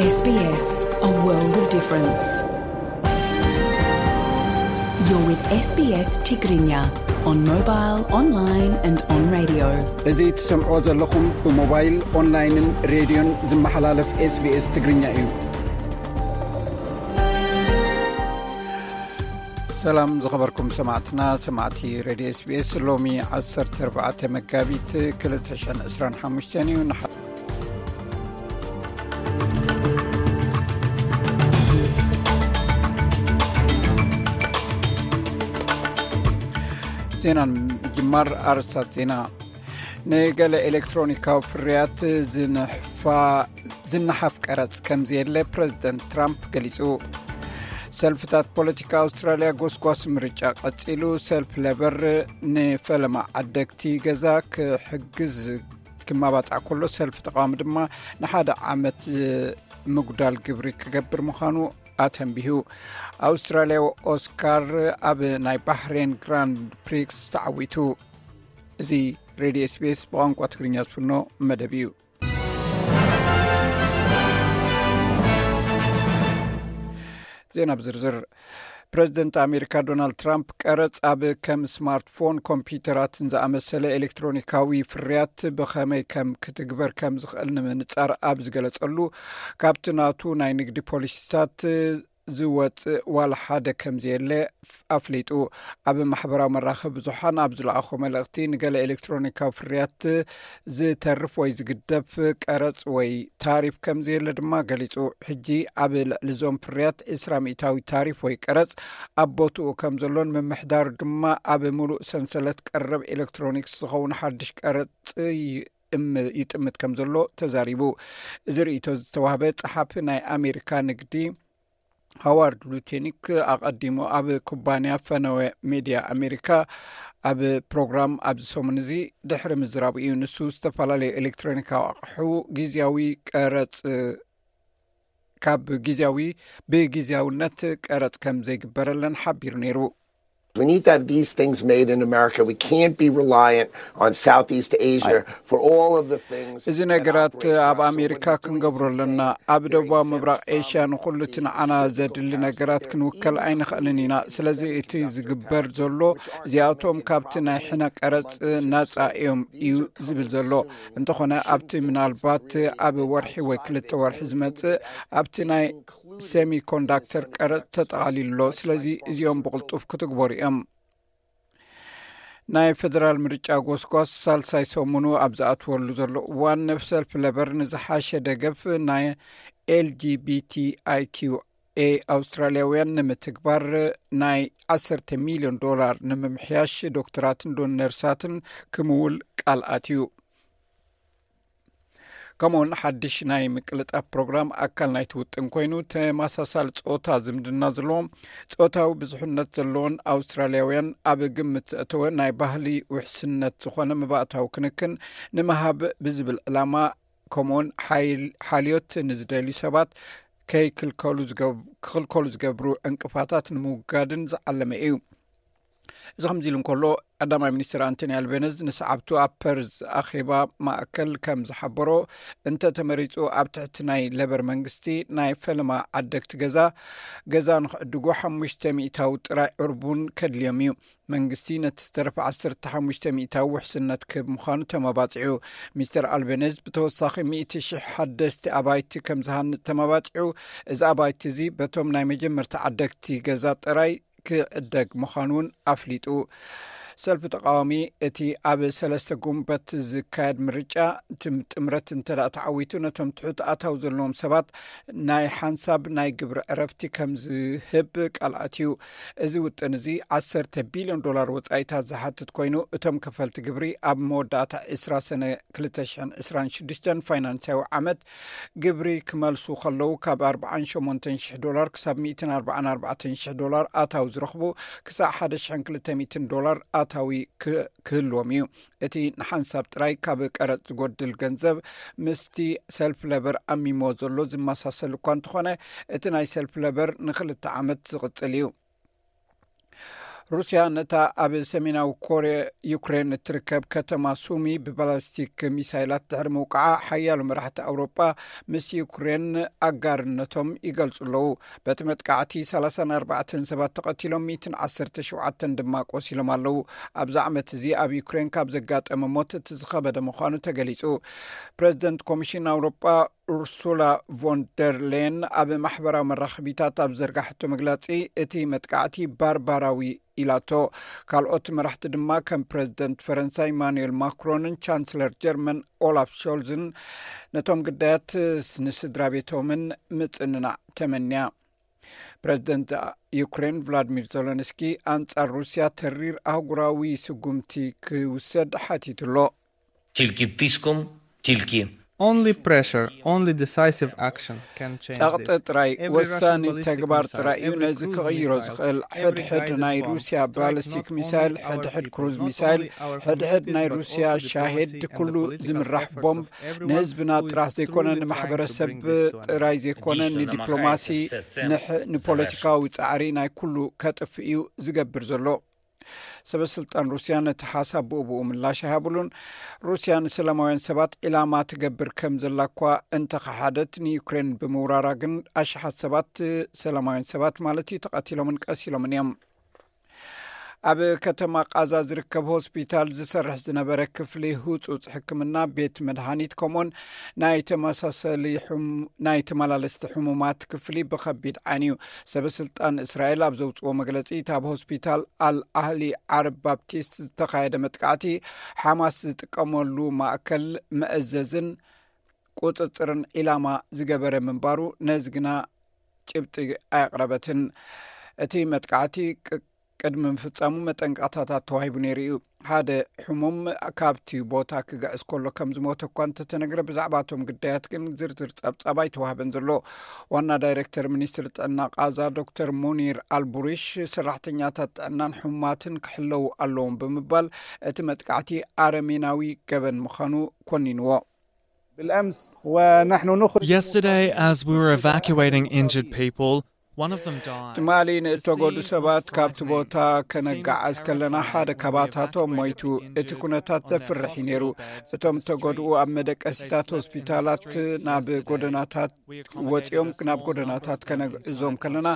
S B S, a world of difference. You're with S B S Tigrinya on mobile, online and on radio. እዚ ትሰምዖ ዘለኹም ብሞባይል፣ ኦንላይንን ሬድዮን ዝመሓላለፍ SBS ትግርኛ እዩ። ሰላም ዝኸበርኩም ሰማዕትና፣ ሰማዕቲ ሬድዮ SBS፣ ሎሚ ዓሰርተ ኣርባዕተ መጋቢት ክልተ ሽሕን ዕስራን ሓሙሽተን እዩ። ንሓ- ዜና ንምጅማር ኣርእስታት ዜና። ንገለ ኤሌክትሮኒካዊ ፍርያት ዝንሕፋ-፣ ዝነሓፍ ቀረጽ ከም ዘየለ ፕረዚደንት ትራምፕ ገሊጹ። ሰልፍታት ፖለቲካ ኣውስትራልያ ጎስጓስ ምርጫ ቀጺሉ። ሰልፊ ሌበር ንፈለማ ዓደግቲ ገዛ ክሕግዝ ክመባጻዕ ከሎ፣ ሰልፊ ተቃዋሚ ድማ ንሓደ ዓመት ምጉዳል ግብሪ ክገብር ምዃኑ ኣተንቢሁ። ኣውስትራልያዊ ኦስካር ኣብ ናይ ባሕሬን ግራንድ ፕሪክስ ተዓዊቱ። እዚ ሬድዮ SBS ብቋንቋ ትግርኛ ዝፍኖ መደብ እዩ። ዜና ብዝርዝር። ፕረዚደንት ኣሜሪካ ዶናልድ ትራምፕ ቀረጽ ኣብ ከም ስማርትፎን፣ ኮምፒውተራትን ዝኣመሰለ ኤሌክትሮኒካዊ ፍርያት ብኸመይ ከም ክትግበር ከም ዝኽእል ንምንጻር ኣብ ዝገለጸሉ፣ ካብቲ ናቱ ናይ ንግዲ ፖሊሲታት ዝወጽእ ዋላ ሓደ ከም ዘየለ ኣፍሊጡ። ኣብ ማሕበራዊ መራኸቢ ብዙሓን ኣብ ዝለኣኾ መልእኽቲ፣ ንገለ ኤሌክትሮኒካዊ ፍርያት ዝተርፍ ወይ ዝግደፍ ቀረጽ ወይ ታሪፍ ከም ዘየለ ድማ ገሊጹ። ሕጂ ኣብ ልዕሊ እዞም ፍርያት ዕስራ ሚእታዊ ታሪፍ ወይ ቀረጽ ኣብ ቦትኡ ከም ዘሎን፣ ምምሕዳሩ ድማ ኣብ ምሉእ ሰንሰለት ቀረብ ኤሌክትሮኒክስ ዝኸውን ሓድሽ ቀረጽ ይእም-፣ ይጥምት ከም ዘሎ ተዛሪቡ። እዚ ርእይቶ ዝተዋህበ ጸሓፊ ናይ ኣሜሪካ ንግዲ ሃዋርድ ሉቴኒክ ኣቐዲሙ ኣብ ኩባንያ ፈነወ ሜድያ ኣሜሪካ ኣብ ፕሮግራም ኣብዚ ሰሙን እዚ ድሕሪ ምዝራቡ እዩ። ንሱ ዝተፈላለዩ ኤሌክትሮኒካዊ ኣቕሑ ግዝያዊ ቀረጽ፣ ካብ ግዝያዊ፣ ብግዝያውነት ቀረጽ ከም ዘይግበረለን ሓቢሩ ነይሩ። We need to have these things made in America. We can't be reliant on Southeast Asia for all of the things እዚ that ነገራት operate ኣብ for us. So ኣሜሪካ when you bring ክንገብሮ this ኣለና። ኣብ ደቡባዊ ምብራቕ ኤሽያ ንኹሉ እቲ ንዓና ዘድሊ ነገራት ክንውከል ኣይንኽእልን ኢና። ስለዚ እቲ ዝግበር ዘሎ፣ እዚኣቶም ካብቲ ናይ ሕነ ቀረጽ ናጻ እዮም እዩ ዝብል ዘሎ። እንተኾነ ኣብቲ ምናልባት ኣብ ወርሒ ወይ ክልተ ወርሒ ዝመጽእ ኣብቲ ናይ ሴሚኮንዳክተር ቀረጽ ተጠቓሊሉ ኣሎ። ስለዚ እዚኦም ብቕልጡፍ ክትግበሩ እዮም። ናይ ፌደራል ምርጫ ጎስጓስ ሳልሳይ ሰሙኑ ኣብ ዝኣትወሉ ዘሎ እዋን፣ ሰልፊ ሌበር ንዝሓሸ ደገፍ ናይ LGBTIQA ኣውስትራልያውያን ንምትግባር ናይ ዓሰርተ ሚልዮን ዶላር ንምምሕያሽ ዶክተራትን ዶ-፣ ነርሳትን ክምውል ቃል ኣትዩ። ከምኡውን ሓድሽ ናይ ምቅልጣፍ ፕሮግራም ኣካል ናይቲ ውጥን ኮይኑ፣ ተመሳሳሊ ጾታ ዝምድና ዘለዎም፣ ጾታዊ ብዙሕነት ዘለዎን ኣውስትራልያውያን ኣብ ግምት ዘእተወ ናይ ባህሊ ውሕስነት ዝኾነ መባእታዊ ክንክን ንምሃብ ብዝብል ዕላማ፣ ከምኡውን ሓይል-፣ ሓልዮት ንዝደልዩ ሰባት ከይክልከሉ ዝገብ-፣ ክኽልከሉ ዝገብሩ ዕንቅፋታት ንምውጋድን ዝዓለመ እዩ። እዚ ከምዚ ኢሉ እንከሎ፣ ቀዳማይ ሚኒስትር ኣንቶኒ ኣልቤነዝ ንሰዓብቱ ኣብ ፐርዝ ኣኼባ ማእከል ከም ዝሓበሮ፣ እንተ ተመሪጹ ኣብ ትሕቲ ናይ ሌበር መንግስቲ ናይ ፈለማ ዓደግቲ ገዛ፣ ገዛ ንኽዕድጉ ሓሙሽተ ሚእታዊ ጥራይ ዕርቡን ከድልዮም እዩ። መንግስቲ ነቲ ዝተረፈ ዓሰርተ ሓሙሽተ ሚእታዊ ውሕስነት ክህብ ምዃኑ ተመባጺዑ። ሚስተር ኣልቤነዝ ብተወሳኺ ሚእቲ ሽሕ ሓደስቲ ኣባይቲ ከም ዝሃንጽ ተመባጺዑ። እዚ ኣባይቲ እዚ በቶም ናይ መጀመርታ ዓደግቲ ገዛ ጥራይ ክዕደግ ምዃኑ እውን ኣፍሊጡ። ሰልፊ ተቃዋሚ፣ እቲ ኣብ ሰለስተ ጉንበት ዝካየድ ምርጫ፣ እቲ ጥምረት እንተ ደኣ ተዓዊቱ፣ ነቶም ትሑት ኣታዊ ዘለዎም ሰባት ናይ ሓንሳብ ናይ ግብሪ ዕረፍቲ ከም ዝህብ ቃል ኣትዩ። እዚ ውጥን እዚ ዓሰርተ ቢልዮን ዶላር ወጻኢታት ዝሓትት ኮይኑ፣ እቶም ከፈልቲ ግብሪ ኣብ መወዳእታ ዕስራ ሰነ ክልተ ሽሕን ዕስራን ሽዱሽተን ፋይናንሳዊ ዓመት ግብሪ ክመልሱ ከለዉ፣ ካብ ኣርባዓን ሸሞንተን ሽሕ ዶላር ክሳብ ሚእትን ኣርባዓን ኣርባዕተን ሽሕ ዶላር ኣታዊ ዝረኽቡ፣ ክሳዕ ሓደ ሽሕን ክልተ ሚእትን ዶላር ኣታዊ ክ-፣ ክህልዎም እዩ። እቲ ንሓንሳብ ጥራይ ካብ ቀረጽ ዝጎድል ገንዘብ፣ ምስቲ ሰልፊ ሌበር ኣሚሞ ዘሎ ዝመሳሰል እኳ እንተኾነ፣ እቲ ናይ ሰልፊ ሌበር ንኽልተ ዓመት ዝቕጽል እዩ። ሩስያ ነታ ኣብ ሰሜናዊ ኮርያ ዩክሬን እትርከብ ከተማ ሱሚ ብባላስቲክ ሚሳይላት ድሕሪ ምውቃዓ፣ ሓያሎ መራሕቲ ኣውሮጳ ምስ ዩክሬን ኣጋርነቶም ይገልጹ ኣለዉ። በቲ መጥቃዕቲ ሰላሳን ኣርባዕተን ሰባት ተቐቲሎም፣ ሚእትን ዓሰርተ ሸውዓተን ድማ ቆሲሎም ኣለዉ። ኣብዚ ዓመት እዚ ኣብ ዩክሬን ካብ ዘጋጠመ ሞት እቲ ዝኸበደ ምዃኑ ተገሊጹ። ፕረዚደንት ኮሚሽን ኣውሮጳ ኡርሱላ ቮን ደር ሌን ኣብ ማሕበራዊ መራኸቢታት ኣብ ዘርጋሕቶ መግለጺ፣ እቲ መጥቃዕቲ ባርባራዊ ኢላቶ። ካልኦት መራሕቲ ድማ ከም ፕረዚደንት ፈረንሳ ኢማኑኤል ማክሮንን ቻንስለር ጀርመን ኦላፍ ሾልዝን ነቶም ግዳያት ንስድራ ቤቶምን ምጽንናዕ ተመንያ። ፕረዚደንት ዩክሬን ቭላድሚር ዜለንስኪ ኣንጻር ሩስያ ተሪር ኣህጉራዊ ስጉምቲ ክውሰድ ሓቲቱ ኣሎ። Тільки тиском, тільки Only pressure, only decisive action can change ጸቕጢ this. ጥራይ Every ወሳኒ Russian ballistic ተግባር missile, ጥራይ እዩ every ነዚ cruise ክቕይሮ missile, ዝኽእል። every ሕድሕድ guided ናይ bomb ሩስያ strike ባሊስቲክ not ሚሳይል only our ሕድሕድ people, ክሩዝ not ሚሳይል only our ሕድሕድ communities, ናይ but ሩስያ also the ሻሄድ policy and the ኩሉ political ዝምራሕ efforts ቦምብ of everyone ንህዝብና who is ጥራሕ ዘይኮነ truly trying ንማሕበረሰብ to bring this to an end. ጥራይ ዘይኮነ Дійсно ንዲፕሎማሲ намагається все це ንሕ- ንፖለቲካዊ ጻዕሪ ናይ ኩሉ ከጥፍ እዩ ዝገብር ዘሎ። ሰበ ስልጣን ሩስያ ነቲ ሓሳብ ብኡ ብኡ ምላሽ ኣይሃብሉን። ሩስያ ንሰላማውያን ሰባት ዒላማ ትገብር ከም ዘላ እኳ እንተኸሓደት፣ ንዩክሬን ብምውራራ ግን ኣሽሓት ሰባት፣ ሰላማውያን ሰባት ማለት እዩ፣ ተቐቲሎምን ቀሲሎምን እዮም። ኣብ ከተማ ቃዛ ዝርከብ ሆስፒታል ዝሰርሕ ዝነበረ ክፍሊ ህጹጽ ሕክምና፣ ቤት መድሃኒት፣ ከምኡን ናይ ተመሳሰሊ ሕሙ- ናይ ተመላለስቲ ሕሙማት ክፍሊ ብኸቢድ ዓንዩ። ሰበ ስልጣን እስራኤል ኣብ ዘውጽዎ መግለጺ፣ እቲ ኣብ ሆስፒታል ኣል ኣህሊ ዓረብ ባፕቲስት ዝተኻየደ መጥቃዕቲ፣ ሓማስ ዝጥቀመሉ ማእከል መእዘዝን ቁጽጽርን ዒላማ ዝገበረ ምንባሩ፣ ነዚ ግና ጭብጢ ኣየቕረበትን። እቲ መጥቃዕቲ ቅ- ቅድሚ ምፍጻሙ መጠንቀቕታታት ተዋሂቡ ነይሩ እዩ። ሓደ ሕሙም ካብቲ ቦታ ክግዕዝ ከሎ ከም ዝሞተ እኳ እንተተነግረ፣ ብዛዕባ እቶም ግዳያት ግን ዝርዝር ጸብጻብ ኣይተዋህበን ዘሎ። ዋና ዳይሬክተር ሚኒስትሪ ጥዕና ቃዛ ዶክተር ሙኒር ኣልቡሪሽ፣ ሰራሕተኛታት ጥዕናን ሕሙማትን ክሕለዉ ኣለዎም ብምባል፣ እቲ መጥቃዕቲ ኣረሜናዊ ገበን ምዃኑ ኮኒንዎ። بالأمس ونحن نخرج Yesterday, as we were evacuating injured people, one of them died. ትማሊ ንእተጎዱ ሰባት ካብቲ ቦታ ከነጋዓዝ ከለና ሓደ ካባታቶም ሞይቱ። እቲ ኩነታት ዘፍርሕ እዩ ነይሩ። እቶም እተጎድኡ ኣብ መደቀሲታት ሆስፒታላት ናብ ጎደናታት ወፂኦም ናብ ጎደናታት ከነግዕዞም ከለና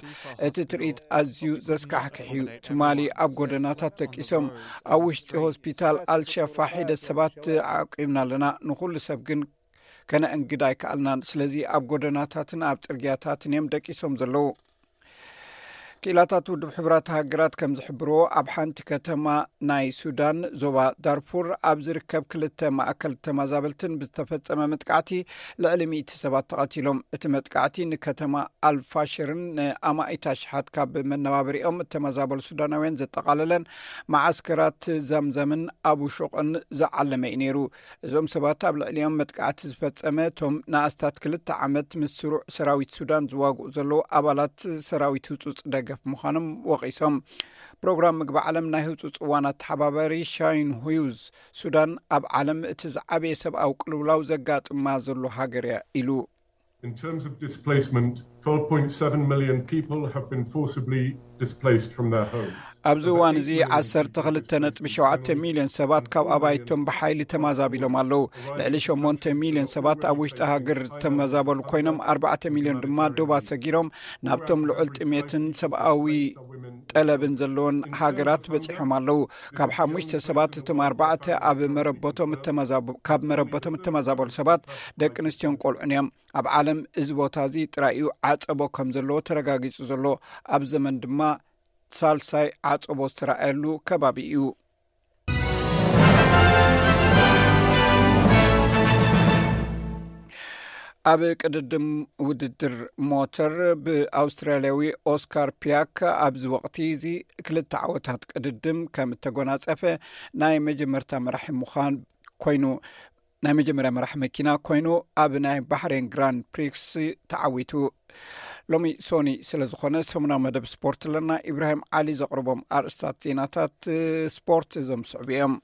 እቲ ትርኢት ኣዝዩ ዘስካሕክሕ እዩ። ትማሊ ኣብ ጎደናታት ደቂሶም ኣብ ውሽጢ ሆስፒታል ኣልሸፋ ሒደት ሰባት ዓቂብና ኣለና። ንኹሉ ሰብ ግን ከነእንግድ ኣይከኣልናን። ስለዚ ኣብ ጎደናታትን ኣብ ጽርግያታትን እዮም ደቂሶም ዘለዉ። ክኢላታት ውድብ ሕቡራት ሃገራት ከም ዝሕብርዎ፣ ኣብ ሓንቲ ከተማ ናይ ሱዳን ዞባ ዳርፉር ኣብ ዝርከብ ክልተ ማእከል ተመዛበልትን ብዝተፈጸመ መጥቃዕቲ ልዕሊ ሚእቲ ሰባት ተቐቲሎም። እቲ መጥቃዕቲ ንከተማ ኣልፋሽርን ንኣማኢት ኣሽሓት ካብ መነባብሪኦም እተመዛበሉ ሱዳናውያን ዘጠቓለለን መዓስከራት ዘምዘምን ኣቡ ሹቕን ዝዓለመ እዩ ነይሩ። እዞም ሰባት ኣብ ልዕሊኦም መጥቃዕቲ ዝፈጸመ፣ እቶም ንኣስታት ክልተ ዓመት ምስ ስሩዕ ሰራዊት ሱዳን ዝዋግኡ ዘለዉ ኣባላት ሰራዊት ህጹጽ ደገፍ ምዃኖም ወቒሶም። ፕሮግራም ምግቢ ዓለም ናይ ህጹጽ እዋን ኣተሓባባሪ ሻይን ሁዩዝ፣ ሱዳን ኣብ ዓለም እቲ ዝዓበየ ሰብኣዊ ቅልውላው ዘጋጥማ ዘሎ ሃገር እያ ኢሉ። In terms of displacement, twelve point seven million people have been forcibly displaced from their homes. ኣብዚ እዋን እዚ ዓሰርተ ክልተ ነጥቢ ሸውዓተ ሚልዮን ሰባት ካብ ኣባይቶም ብሓይሊ ተማዛቢሎም ኣለዉ። ልዕሊ ሸሞንተ ሚልዮን ሰባት ኣብ ውሽጢ ሃገር ዝተመዛበሉ ኮይኖም፣ ኣርባዕተ ሚልዮን ድማ ዶባት ሰጊሮም ናብቶም ልዑል ጥሜትን ሰብኣዊ ጠለብን ዘለዎን ሃገራት በጺሖም ኣለዉ። ካብ ሓሙሽተ ሰባት እቶም ኣርባዕተ ኣብ መረበቶም እተመዛበ- ካብ መረበቶም እተመዛበሉ ሰባት ደቂ ኣንስትዮን ቆልዑን እዮም። ኣብ ዓለም እዚ ቦታ እዚ ጥራይ እዩ ዓጸቦ ከም ዘለዎ ተረጋጊጹ ዘሎ። ኣብ ዘመን ድማ ሳልሳይ ዓጸቦ ዝተረኣየሉ ከባቢ እዩ። ኣብ ቅድድም ውድድር ሞተር ብኣውስትራልያዊ ኦስካር ፒያክ ኣብዚ ወቕቲ እዚ ክልተ ዓወታት ቅድድም ከም እተጎናጸፈ ናይ መጀመርታ መራሒ ምዃን ኮይኑ ናይ መጀመርያ መራሕ መኪና ኮይኑ ኣብ ናይ ባሕሬን ግራንድ ፕሪክስ ተዓዊቱ። ሎሚ ሶኒ ስለ ዝኾነ ሰሙናዊ መደብ ስፖርት ኣለና። ኢብራሂም ዓሊ ዘቕርቦም ኣርእስታት ዜናታት ስፖርት እዞም ዝስዕቡ እዮም።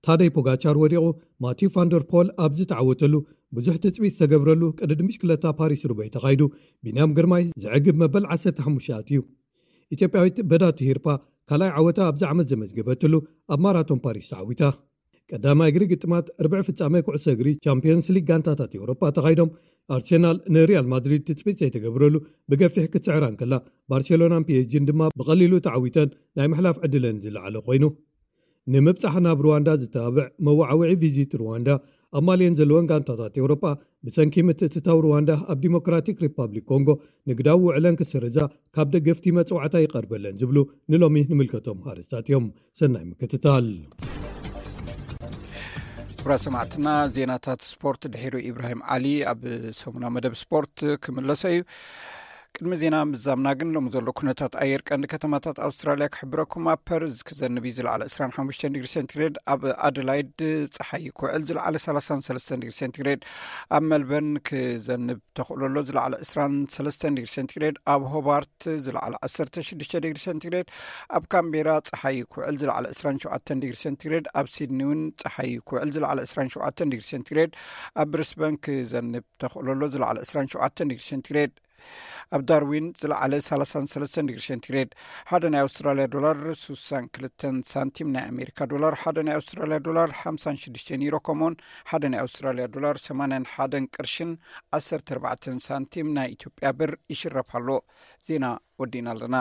ታደይ ፖጋቻር ወዲቑ፣ ማቲው ፋንደር ፖል ኣብ ዝተዓወተሉ፣ ብዙሕ ትጽቢት ዝተገብረሉ ቅድድም ብሽክለታ ፓሪስ ሩበይ ተኻይዱ፣ ቢንያም ግርማይ ዘዕግብ መበል ዓሰርተ ሓሙሽተ ኣትዩ። ኢትዮጵያዊት በዳቱ ሂርፓ ካልኣይ ዓወታ ኣብዚ ዓመት ዘመዝገበትሉ ኣብ ማራቶን ፓሪስ ተዓዊታ። ቀዳማይ እግሪ ግጥማት ርብዒ ፍጻመ ኩዕሶ እግሪ ቻምፒዮንስ ሊግ ጋንታታት ኤውሮጳ ተኻይዶም፣ ኣርሴናል ንሪያል ማድሪድ ትጽቢት ዘይተገብረሉ ብገፊሕ ክትስዕራ እንከላ፣ ባርሴሎናን ፒ ኤስ ጂን ድማ ብቐሊሉ ተዓዊተን ናይ ምሕላፍ ዕድለን ዝለዓለ ኮይኑ። ንምብጻሕ ናብ ሩዋንዳ ዝተባብዕ መወዓውዒ ቪዚት ሩዋንዳ ኣብ ማልየን ዘለወን ጋንታታት ኤውሮጳ ብሰንኪ ምትእትታው ሩዋንዳ ኣብ ዲሞክራቲክ ሪፓብሊክ ኮንጎ ንግዳዊ ውዕለን ክስርዛ ካብ ደገፍቲ መጽዋዕታ ይቐርበለን ዝብሉ ንሎሚ ንምልከቶም ኣርእስታት እዮም። ሰናይ ምክትታል። ክቡራት ሰማዕትና፣ ዜናታት ስፖርት ድሒሩ ኢብራሂም ዓሊ ኣብ ሰሙናዊ መደብ ስፖርት ክምለሶ እዩ። ቅድሚ ዜና ምዛምና ግን ሎሚ ዘሎ ኩነታት ኣየር ቀንዲ ከተማታት ኣውስትራልያ ክሕብረኩም። ኣብ ፐርዝ ክዘንብ እዩ ዝለዓለ ዕስራን ሓሙሽተን ዲግሪ ሴንቲግሬድ፣ ኣብ ኣደላይድ ጸሓይ ክውዕል ዝለዓለ ሰላሳን ሰለስተን ዲግሪ ሴንቲግሬድ፣ ኣብ መልበርን ክዘንብ ተኽእሎ ኣሎ ዝለዓለ ዕስራን ሰለስተን ዲግሪ ሴንቲግሬድ፣ ኣብ ሆባርት ዝለዓለ ዓሰርተ ሽዱሽተ ዲግሪ ሴንቲግሬድ፣ ኣብ ካምቤራ ጸሓይ ክውዕል ዝለዓለ ዕስራን ሸውዓተን ዲግሪ ሴንቲግሬድ፣ ኣብ ሲድኒ እውን ጸሓይ ክውዕል ዝለዓለ ዕስራን ሸውዓተን ዲግሪ ሴንቲግሬድ፣ ኣብ ብሪስበን ክዘንብ ተኽእሎ ኣሎ ዝለዓለ ዕስራን ሸውዓተን ዲግሪ ሴንቲግሬድ፣ ኣብ ዳርዊን ዝለዓለ ሰላሳን ሰለስተን ዲግሪ ሴንቲግሬድ። ሓደ ናይ ኣውስትራልያ ዶላር ስሳን ክልተን ሳንቲም፣ ናይ ኣሜሪካ ዶላር ሓደ ናይ ኣውስትራልያ ዶላር ሓምሳን ሽዱሽተን ዩሮ፣ ከምኡውን ሓደ ናይ ኣውስትራልያ ዶላር ሰማንያን ሓደን ቅርሽን ዓሰርተ ኣርባዕተን ሳንቲም ናይ ኢትዮጵያ ብር ይሽረፍ ኣሎ። ዜና ወዲእና ኣለና።